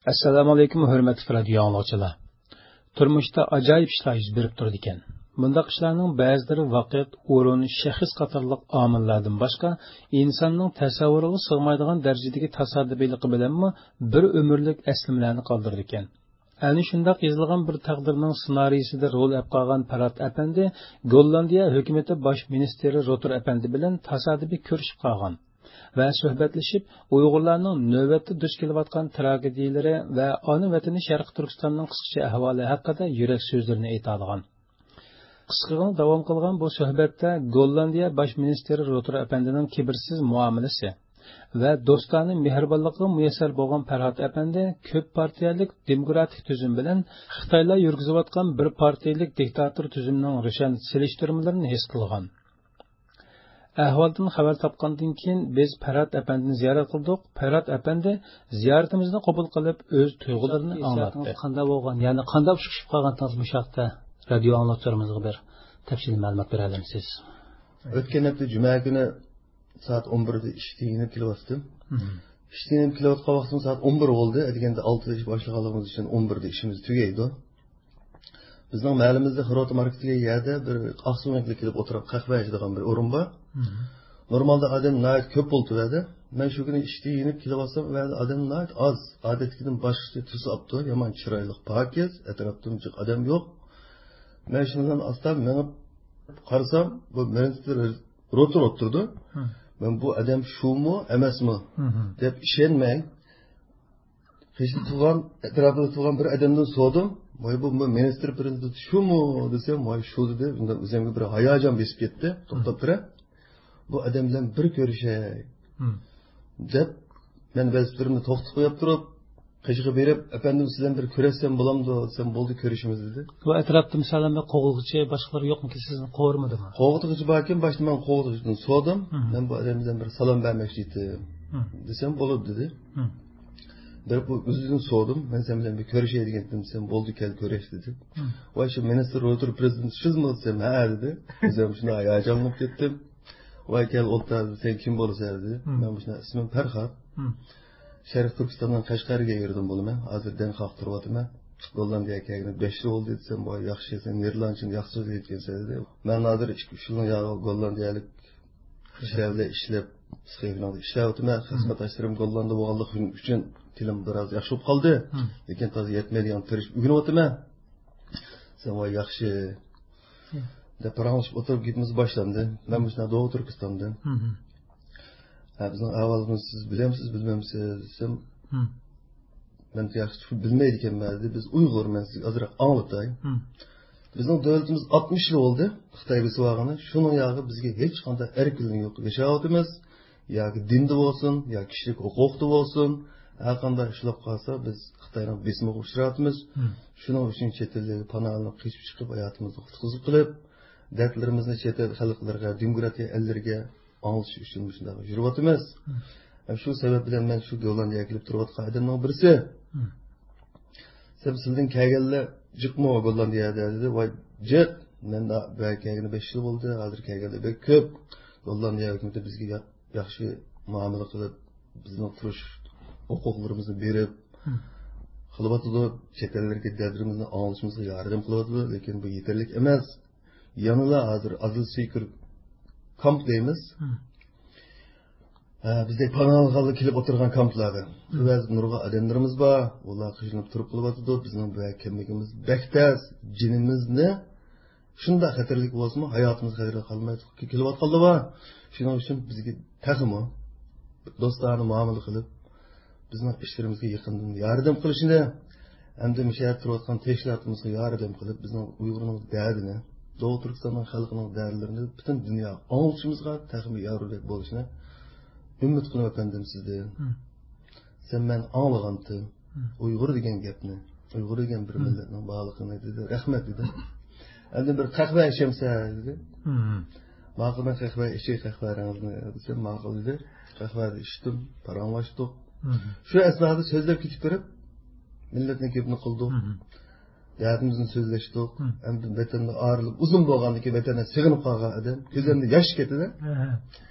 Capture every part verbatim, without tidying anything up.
ئەسسالامۇ ئەلەيكۇم، ھۆرمەتلىك رادىيو ئاڭلىغۇچىلار. تۇرمۇشتا ئاجايىپ ئىشلار يۈز بېرىپ تۇرىدىكەن. بۇنداق ئىشلارنىڭ بەزىلىرى ۋاقىت، ئورۇن، شەخس قاتارلىق ئامىللاردىن باشقا، ئىنساننىڭ تەسەۋۋۇرىغا سىغمايدىغان دەرىجىدىكى تاسادىپىيلىقى بىلەنمۇ بىر ئۆمۈرلۈك ئەسلىمىلەرنى قالدۇرىدىكەن. ئەنە شۇنداق يېزىلغان بىر تەقدىرنىڭ سېنارىيىسىدە رول ئەپ قالغان پەرھات ئەپەندى گوللاندىيە ھۆكۈمىتى باش مىنىستىرى روتېر ئەپەندى بىلەن تاسادىپىي كۆرۈشۈپ قالغان ۋە سۆھبەتلىشىپ، ئۇيغۇرلارنىڭ نۆۋەتتە دۇچ كېلىۋاتقان تراگېدىيەلىرى ۋە ئانا ۋەتىنى شەرقىي تۈركىستاننىڭ قىسقىچە ئەھۋالى ھەققىدە يۈرەك سۆزلىرىنى ئېيتالىغان. قىسقىغىنە داۋام قىلغان بۇ سۆھبەتتە گوللاندىيە باش مىنىستىرى روتېر ئەپەندىنىڭ كىبىرسىز مۇئامىلىسى ۋە دوستانە مېھرىبانلىقىغا مۇيەسسەر بولغان پەرھات ئەپەندى كۆپ پارتىيەلىك دېموكراتىك تۈزۈم بىلەن خىتايلار يۈرگۈزۈۋاتقان بىر پارتىيەلىك دىكتاتور تۈزۈمنىڭ روشەن سېلىشتۇرمىلىرىنى ھېس قىلغان. ئەھۋالدىن خەۋەر تاپقاندىن كېيىن، بىز پەرھات ئەپەندىنى زىيارەت قىلدۇق. پەرھات ئەپەندى زىيارىتىمىزنى قوبۇل قىلىپ، ئۆز تۇيغۇلىرىنى ئاڭلاتتى. قانداق بولغان، يەنى قانداق ئۇچرىشىپ قالغانتىڭىز مۇشۇ ھەقتە رادىيو ئاڭلىغۇچىلىرىمىزغا بىر تەپسىلىي مەلۇمات بېرەلەمسىز؟ ئۆتكەن ھەپتە جۈمە كۈنى سائەت ئون بىردە ئىشتىن يېنىپ كېلىۋاتتىم. مم. ئىشتىن يېنىپ كېلىۋاتقان ۋاقتىم سائەت ئون بىر بولدى. ئەتىگەندە ئالتىدا ئىش باشلىغانلىقىمىز ئۈچۈن ئون بىردە ئىشىمىز تۈگەيدۇ. بىزنىڭ مەھەللىمىزدە خىروتا ماركېت دېگەن يەردە بىر ئاقسۆڭەكلەر كېلىپ ئولتۇرۇپ قەھۋە ئىچىدىغان بىر ئورۇن بار. مم. نورمالدا ئادەم ناھايىتى كۆپ بولىدۇ ئۇ يەردە. مەن شۇ كۈنى ئىشتىن يېنىپ كېلىۋاتسام، ئۇ يەردە ئادەم ناھايىتى ئاز. ئادەتتىكىدىن باشقىچە تۈس ئاپتۇ. يامان چىرايلىق، پاكىز، ئەتراپتىمۇ جىق ئادەم يوق. مەن شۇنىڭ بىلەن ئاستا مېڭىپ قارىسام، بۇ مىنىستىر روتېر ئولتۇرىدۇ. مم. مەن بۇ ئادەم شۇمۇ، ئەمەسمۇ مم. دەپ ئىشەنمەي، قېشىدا تۇرغان، ئەتراپىدا تۇرغان بىر ئادەمدىن سورىدىم. ۋاي، بۇ مىنىستىر پىرېزىدېنت شۇمۇ دېسەم، ۋاي، شۇ دېدى. ئۇنداق ئۆزۈمگە بىر ھاياجان بېسىپ كەتتى. توختاپ تۇرە. بۇ ئادەم بىلەن بىر كۆرۈشەي مم. دەپ، مەن ۋەزىپىلىرىمنى توختىتىپ قويۇپ تۇرۇپ، قېشىغا بېرىپ، ئەپەندىم، سىز بىلەن بىر كۆرۈشسەم بولامدۇ دېسەم، بولدى، كۆرۈشىمىز دېدى. بۇ ئەتراپتا، مىسالەن، بىر قوغلىغۇچى، باشقىلار يوقمىكىن، سىزنى قوغۇرمىدىمۇ؟ قوغلىغۇچى باركەن، باشتا مەن قوغلىغۇچىدىن سورىدىم. مم. مەن بۇ ئادەم بىلەن بىر سالام بەرمەكچى ئىدىم مم. دېسەم، بولىدۇ دېدى. مم. بىر بۇ ئۆزىدىن سورىدىم. مەن سەن بىلەن بىر كۆرۈشەي دېگەنتىم دېسەم، بولدى، كەل كۆرۈش دېدى. مم. ۋاي، شۇ مىنىستىر روتېر پىرېزىدېنت سىزمۇ دېسەم، ھە دېدى. ئۆزۈم شۇنداق ھاياجانلىنىپ كەتتىم. ۋاي، كەل ئولتۇر، سەن كىم بولىسەن دېدى. مم. مەن مۇشۇنداق، ئىسمىم پەرھات. مم. شەرقىي تۈركىستاندىن قەشقەرگە يۈردۈم بولىمەن. ھازىر دەڭ قاقتۇرۇۋاتىمەن. گوللاندىيەگە كەلگىنى بەش يىل بولدى دېسەم، ۋاي، ياخشى، سەن نېرلاندچىنى ياخشى سۆزلەيدىكەنسەن دېدى. مەن ھازىر ئىككى، ئۈچ يىلنىڭ ياغى گوللاندىيەلىك كىشىلەر بىلەن ئىشلەپ، سخېفىنىڭدا ئىشلەۋاتىمەن. مم. خىزمەتداشلىرىم گوللاندىيە بولغانلىقى ئۈچۈن تىلىم بىراز ياخشى بولۇپ قالدى. مم. لېكىن تازا يەتمەيدىغان تىرىشىپ ئۆگىنىۋاتىمەن. سەن ۋاي ياخشى مم. دەپ پاراڭلىشىپ ئولتۇرۇپ گېپىمىز باشلاندى. مەن مۇشۇنداق دوغۇ تۈركىستاندىن. مم. ھە، بىزنىڭ ئەھۋالىمىزنى سىز بىلەمسىز، بىلمەمسىز دېسەم، مم. مەن ياخشى بىلمەيدىكەنمەن دېدى. بىز ئۇيغۇر، مەن سىزگە ئازراق ئاڭلىتاي. مم. بىزنىڭ دۆلىتىمىز ئاتمىش يىل بولدى خىتاي بېسىۋالغىنى. شۇنىڭ ياغى بىزگە ھېچقانداق ئەركىنلىك يوق. ياشاۋاتىمىز. ياكى دىندا بولسۇن، يا كىشىلىك ھوقۇقتا بولسۇن، ھەرقانداق ئىش بولۇپ قالسا، بىز خىتاينىڭ بېسىمىغا ئۇچراۋاتىمىز. مم. شۇنىڭ ئۈچۈن چەت ئەللەرگە پاناھ ئېلىپ، قېچىپ چىقىپ، ھاياتىمىزنى قۇتقۇزۇپ قىلىپ، دەردلىرىمىزنى چەت ئەل خەلقلىرىگە، دېموكراتىيە ئەللىرىگە ئاڭلىتىش ئۈچۈن مۇشۇنداق يۈرۈۋاتىمىز. مم. ھەم شۇ سەۋەب بىلەن مەن شۇ گوللاندىيەگە كېلىپ تۇرۇۋاتقان ئادەمنىڭ بىرسى. مم. سەن سىلىدىن كەلگەنلەر جىقمۇ گوللاندىيەدە دېدى. ۋاي جىق، مەن بۇ يەرگە كەلگىنى بەش يىل بولدى، ھازىر كەلگەنلەر بەك كۆپ. گوللاندىيە ھۆكۈمىتى بىزگە يا-، ياخشى مۇئامىلە قىلىپ، بىزنىڭ تۇرۇش ھوقۇقلىرىمىزنى بېرىپ مم. قىلىۋاتىدۇ. چەت ئەللەرگە دەردلىرىمىزنى ئاڭلىشىمىزغا ياردەم قىلىۋاتىدۇ. لېكىن بۇ يېتەرلىك ئەمەس. يەنىلا ھازىر ئازىل سۈيكۈر كامپ دەيمىز. مم. ھە، بىزدەك پاناھلانغانلار كېلىپ ئولتۇرغان كامپلاردا. مم. بەزى نۇرغۇن ئادەملىرىمىز بار. ئۇلار قىينىلىپ تۇرۇپ قېلىۋاتىدۇ. بىزنىڭ بۇ يەرگە كەلمىكىمىز بەك تەس. جېنىمىزنى شۇنداق خەتەرلىك بولسىمۇ، ھاياتىمىز خەتەرگە قالماي كېلىۋاتقانلار بار. شۇنىڭ ئۈچۈن بىزگە تېخىمۇ دوستانە مۇئامىلە قىلىپ، بىزنىڭ ئىشلىرىمىزغا يېقىندىن ياردەم قىلىشىنى، ھەمدە مۇشۇ يەردە تۇرۇۋاتقان تەشكىلاتىمىزغا ياردەم قىلىپ، بىزنىڭ ئۇيغۇرنىڭ دەردىنى، دوغۇ تۈركىستاننىڭ خەلقىنىڭ دەردلىرىنى پۈتۈن دۇنياغا ئاڭلىتىشىمىزغا تېخىمۇ ياردەم بولۇشىنى ئۈمىد قىلىمەن، ئەپەندىم، سىزدىن. مم. سەن مەن ئاڭلىغانتىم. مم. ئۇيغۇر دېگەن گەپنى، ئۇيغۇر دېگەن بىر مم. مىللەتنىڭ بارلىقىنى دېدى. رەھمەت دېدىم. ئەمدى بىر قەھۋە ئىچەمسەن دېدى. مم. ماقۇل، مەن قەھۋە ئىچەي، قەھۋەڭىزنى دېسەم، ماقۇل دېدى. قەھۋەنى ئىچتىم، پاراڭلاشتۇق. مم. شۇ ئەسنادا سۆزلەپ كېتىپ بېرىپ، مىللەتنىڭ گېپىنى قىلدۇق. مم. دەردىمىزنى سۆزلەشتۇق. مم. ئەمدى ۋەتەندىن ئايرىلىپ ئۇزۇن بولغاندىن كېيىن ۋەتەندىن سېغىنىپ قالغان ئادەم. كۆزلىرىمدىن ياش كەتتى-دە. ھە، ھە.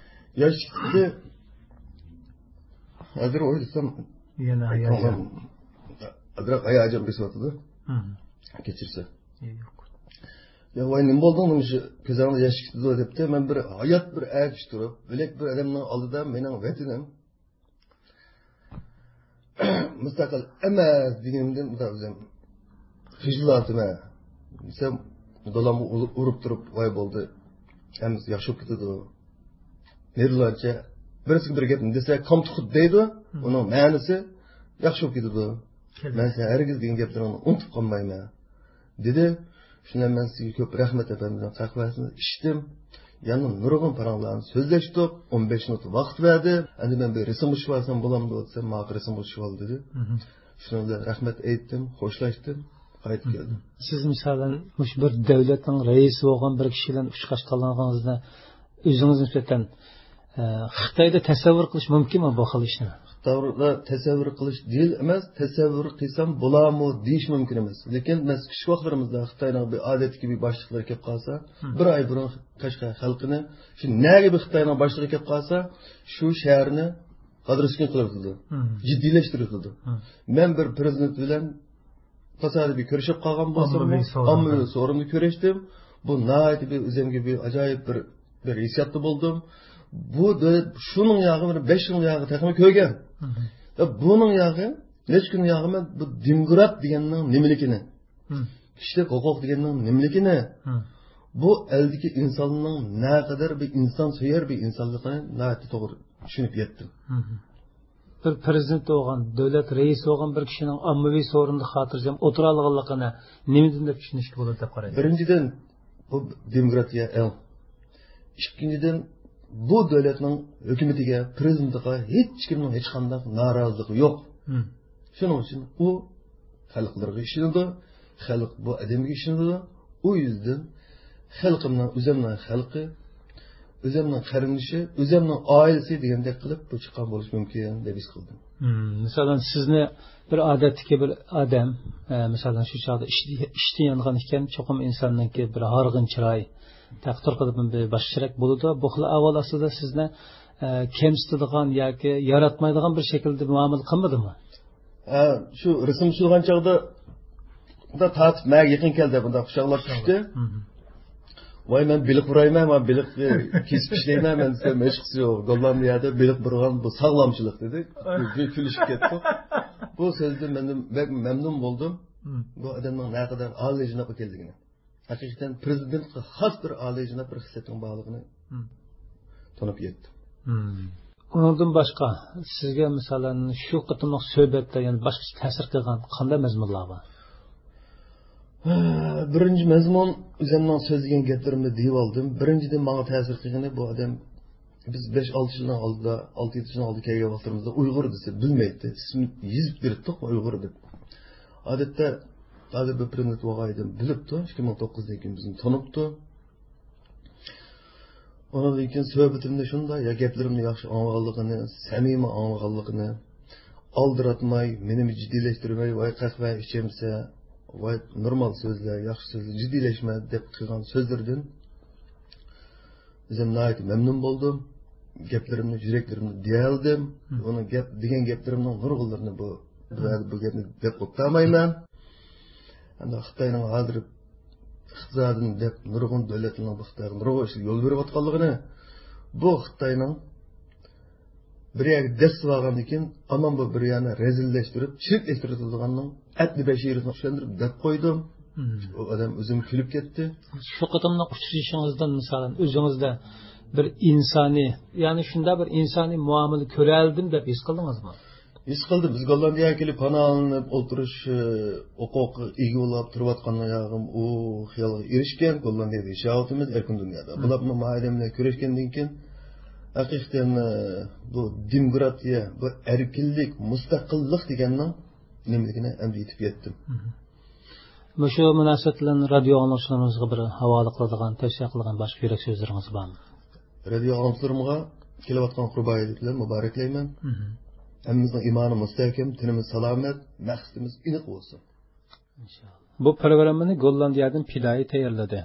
ياش كەتتى. ھازىر ئويلىسام، يەنە ھاياجان. ئازراق ھاياجان بېسىۋاتىدۇ. مم. كەچۈرسە. يوق. يا، ۋاي، نېمە بولدۇڭ؟ نېمە شۇ كۆزۈڭدە ياش كېتىدۇ دەپتۇ. مەن بىر ھايات بىر ئەركىشى تۇرۇپ، بۆلەك بىر ئادەمنىڭ ئالدىدا مېنىڭ ۋەتىنىم مۇستەقىل ئەمەس دېگىنىمدىن ئۆزۈم خىجىللىنىمەن دېسەم، دادامغا ئۇرۇپ تۇرۇپ، ۋاي بولدى، ھەممىسى ياخشى بولۇپ كېتىدۇ. نېرىلارچە بىرسىگە بىر گەپنى دېسە، كامتۇقۇت دەيدۇ، مم. ئۇنىڭ مەنىسى ياخشى بولۇپ كېتىدۇ. كەلدى. مەن سەن ھەرگىز دېگەن گەپلىرىڭنى ئۇنتۇپ قالمايمەن، دېدى. شۇنىڭ بىلەن مەن سىزگە كۆپ رەھمەت ئەپەندىمنىڭ قەھۋەسىنى ئىچتىم. يەنە نۇرغۇن پاراڭلارنى سۆزلەشتۇق. ئون بەش مىنۇت ۋاقىت بەردى. ئەمدى مەن بىر رەسىمگە چۈشۈپ ئالسام بولامدۇ دېسەم، ماڭا رەسىمگە چۈشۈپ ئال دېدى. مم. شۇنىڭ بىلەن رەھمەت ئېيتتىم، خوشلاشتىم، قايتىپ كەلدىم. سىز مىسالەن مۇشۇ بىر دۆلەتنىڭ رەئىسى بولغان بىر كىشى بىلەن ئۇچراشقانلىقىڭىزنى ئۆزىڭىز نىسبەتەن، ئە، خىتايدا تەسەۋۋۇر قىلىش مۇمكىنمۇ بۇ خىل ئىشنى؟ خىتايدا تەسەۋۋۇر قىلىش دېيىل ئەمەس، تەسەۋۋۇر قىلسام بولامۇ دېيىش مۇمكىن ئەمەس. لېكىن مەن كىچىك ۋاقىتلىرىمىزدا خىتاينىڭ بىر ئادەتتىكى بىر باشلىقلىرى كەپ قالسا، مم. بىر ئاي بۇرۇن قەشقەر خەلقىنى، شۇ نەگە بىر خىتاينىڭ باشلىقى كەپ قالسا، شۇ شەھەرنى قادىر ئۈسكۈن قىلىۋېتىدۇ. مم. جىددىيلەشتۈرۈۋېتىدۇ. مم. مەن بىر پىرېزىدېنت بىلەن تاسادىپىي كۆرۈشۈپ قالغان بولساممۇ، ئاممىۋى سورۇندا. ئاممىۋى سورۇندا كۆرۈشتۈم. بۇ ناھايىتى بىر ئۆزۈمگە بىر ئاجايىپ بىر، بىر ھېسسىياتتا بولدۇم. بۇ دۆلەت شۇنىڭ ياغى بىر بەش يىل ياغى تېخىمۇ كۆرگەن. مم. ۋە بۇنىڭ ياغى، نەچچە كۈن ياغى مەن بۇ دېموكرات دېگەننىڭ نېمىلىكىنى، مم. كىشىلىك ھوقۇق دېگەننىڭ نېمىلىكىنى، مم. بۇ ئەلدىكى ئىنساننىڭ نەقەدەر بىر ئىنسانسۆيەر بىر ئىنسانلىقىنى ناھايىتى توغرا چۈشىنىپ يەتتىم. مم. بىر پىرېزىدېنت بولغان، دۆلەت رەئىسى بولغان بىر كىشىنىڭ ئاممىۋى سورۇندا خاتىرجەم ئولتۇرالىغانلىقىنى نېمىدىن دەپ چۈشىنىشكە بولىدۇ دەپ قارايسىز؟ بىرىنچىدىن، بۇ دېموكراتىيە ئەڭ. ئىككىنچىدىن، بۇ دۆلەتنىڭ ھۆكۈمىتىگە، پىرېزىدېنتىغا ھېچكىمنىڭ ھېچقانداق نارازىلىقى يوق. مم. شۇنىڭ ئۈچۈن ئۇ خەلقلىرىگە ئىشىنىدۇ، خەلق بۇ ئادەمگە ئىشىنىدۇ. ئۇ يۈزدىن خەلقىمنىڭ، ئۆزۈمنىڭ خەلقى، ئۆزۈمنىڭ قېرىندىشى، ئۆزۈمنىڭ ئائىلىسى دېگەندەك قىلىپ بۇ چىققان بولۇشى مۇمكىن دەپ ھېس قىلدىم. مم، مىسالەن، سىزنى بىر ئادەتتىكى بىر ئادەم، ئە، مىسالەن، شۇ چاغدا ئىشتە-، ئىشتىن يانغان ئىكەن، چوقۇم ئىنساننىڭكى بىر ھارغىن چىراي، تەقدىر قىلىپ بىر باشقىچىراق بولىدۇ. بۇ خىل ئەھۋال ئاستىدا سىزنى، ئە، كەمسىتىدىغان ياكى ياراتمايدىغان بىر شەكىلدە مۇئامىلە قىلمىدىمۇ؟ ھە، شۇ رەسىم چۈشۈرگەن چاغدا بۇنداق تارتىپ ماڭا يېقىن كەلدى، بۇنداق قۇچاقلاپ چۈشتى. مم. ۋاي، مەن بېلىق ئۇرايمەن، مەن بېلىق، ئە، كېسىپ ئىشلەيمەن، مەن دېسەم، ھېچقىسى يوق. گوللاندىيەدە بېلىق بۇرغان، بۇ ساغلامچىلىق، دېدى. بىر كۈلۈشۈپ كەتتۇق. بۇ سۆزدىن مەن بەك مەمنۇن بولدۇم. مم. بۇ ئادەمنىڭ نەقەدەر ئالىيجاناب ئىكەنلىكىنى. ھەقىقەتەن پىرېزىدېنتقا خاس بىر ئالىيجاناب بىر خىسلەتنىڭ بارلىقىنى مم. تونۇپ يەتتىم. مم. ئۇنىڭدىن باشقا، سىزگە مىسالەن شۇ قېتىملىق سۆھبەتتە يەنە باشقىچە تەسىر قىلغان قانداق مەزمۇنلار بار؟ بىرىنچى مەزمۇن، ئۆزۈمنىڭ سۆزلىگەن گەپلىرىمنى دېيىۋالدىم. بىرىنچىدىن، ماڭا تەسىر قىلغىنى، بۇ ئادەم، بىز بەش-ئالتە يىلنىڭ ئالدىدا، ئالتە-يەتتە يىلنىڭ ئالدىدا كەلگەن ۋاقىتلىرىمىزدا ئۇيغۇر دېسە بىلمەيتتى. ئىسمىنى يېزىپ بېرىپتۇق، ئۇيغۇر دەپ. ئادەتتە، ھازىر بىر پىرېزىدېنت بولغان ئادەم بىلىپتۇ، ئىككى مىڭ توققۇزدىن كېيىن بىزنى تونۇپتۇ. ئۇنىڭدىن كېيىن سۆھبىتىمنى شۇنداق، يا گەپلىرىمنى ياخشى ئاڭلىغانلىقىنى، سەمىمىي ئاڭلىغانلىقىنى، ئالدىراتماي، مېنىمۇ جىددىيلەشتۈرمەي، ۋاي قەھۋە ئىچەمسە، ۋاي نورمال سۆزلە، ياخشى سۆزلە، جىددىيلەشمە دەپ قىلغان سۆزلىرىدىن ئۆزۈم ناھايىتى مەمنۇن بولدۇم. گەپلىرىمنى، يۈرەكلىرىمنى دېيەلدىم. مم. ئۇنىڭ گەپ، دېگەن گەپلىرىمنىڭ نۇرغۇنلىرىنى بۇ، بۇ، بۇ گەپنى دەپ ئولتۇرمايمەن. ئەمدى خىتاينىڭ ھازىر ئىقتىسادىنى دەپ نۇرغۇن دۆلەتلەرنىڭ بۇ خىتايغا نۇرغۇن ئىشلار يول بېرىۋاتقانلىقىنى، بۇ خىتاينىڭ بىر يەرگە دەسسىۋالغاندىن كېيىن، ئامان بۇ بىر يەرنى رەزىللەشتۈرۈپ، چىرىكلەشتۈرۈۋېتىدىغاننىڭ ئەپتى بەشىرىنى چۈشەندۈرۈپ دەپ قويدۇم. مم. ئۇ ئادەم ئۆزىمۇ كۈلۈپ كەتتى. شۇ قېتىملىق ئۇچرىشىشىڭىزدىن، مىسالەن، ئۆزىڭىزدە بىر ئىنسانىي، يەنى شۇنداق بىر ئىنسانىي مۇئامىلە كۆرەلىدىم دەپ ھېس قىلدىڭىزمۇ؟ ھېس قىلدىم. بىز گوللاندىيەگە كېلىپ پاناھلىنىپ ئولتۇرۇش، ئى، ھوقۇقىغا ئىگە بولۇپ تۇرۇۋاتقان ياغىم ئۇ خىيالغا ئېرىشكەن، گوللاندىيەدە ياشاۋاتىمىز، ئەركىن دۇنيادا. مم. بۇلار بۇ ئادەم بىلەن كۆرۈشكەندىن كېيىن، ھەقىقەتەن، ئى، بۇ دېموكراتىيە، بۇ ئەركىنلىك، مۇستەقىللىق دېگەننىڭ نېمىلىكىنى ئەمدى يېتىپ يەتتىم. مم. مۇشۇ مۇناسىۋەت بىلەن رادىيو ئاڭلىغۇچىلىرىمىزغا بىر ھاۋالە قىلىدىغان، تەۋسىيە قىلىدىغان باشقا يۈرەك سۆزلىرىڭىز بارمۇ؟ رادىيو ئاڭلىغۇچىلىرىمغا كېلىۋاتقان قۇربان ھېيت بىلەن مۇبارەكلەيمەن. مم. ھەممىمىزنىڭ ئىمانى مۇستەھكەم، تېنىمىز سالامەت، مەقسىتىمىز ئېنىق بولسۇن. ئىنشائاللا. بۇ پروگراممىنى گوللاندىيەدىن پىدائىي تەييارلىدى.